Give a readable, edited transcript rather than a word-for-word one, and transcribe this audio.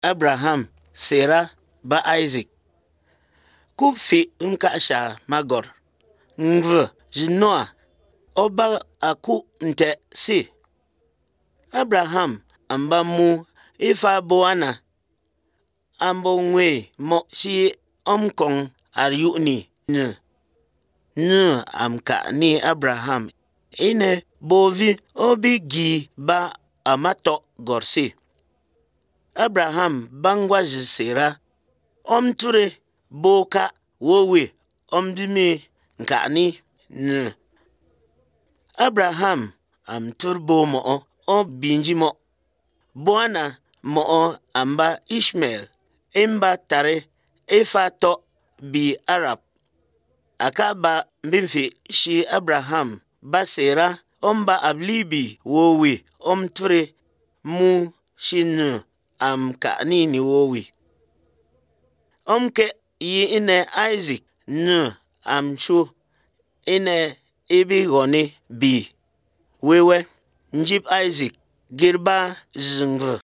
Abraham, Sarah, ba Isaac. Kup fi nkasha magor. Ngv jinoa. Oba aku nte si. Abraham amba mu ifa boana. Ambo ngwe mo si omkong aryuni. Amka ni Abraham. Ine bovi obi gi ba amato gorsi. Abraham bangwa jisera. Omture boka wowe omdimi nkani. Abraham turbo mo o binji mo. Boana mo amba Ishmael. Imba tare ifa to bi Arab. Akaba mbimfi shi Abraham ba Sarah omba ablibi wowe omture mu shinu amkani ni wowe. Omke yi ine Isaac amshu ine ibi goni bi wewe njib Isaac girba zingv.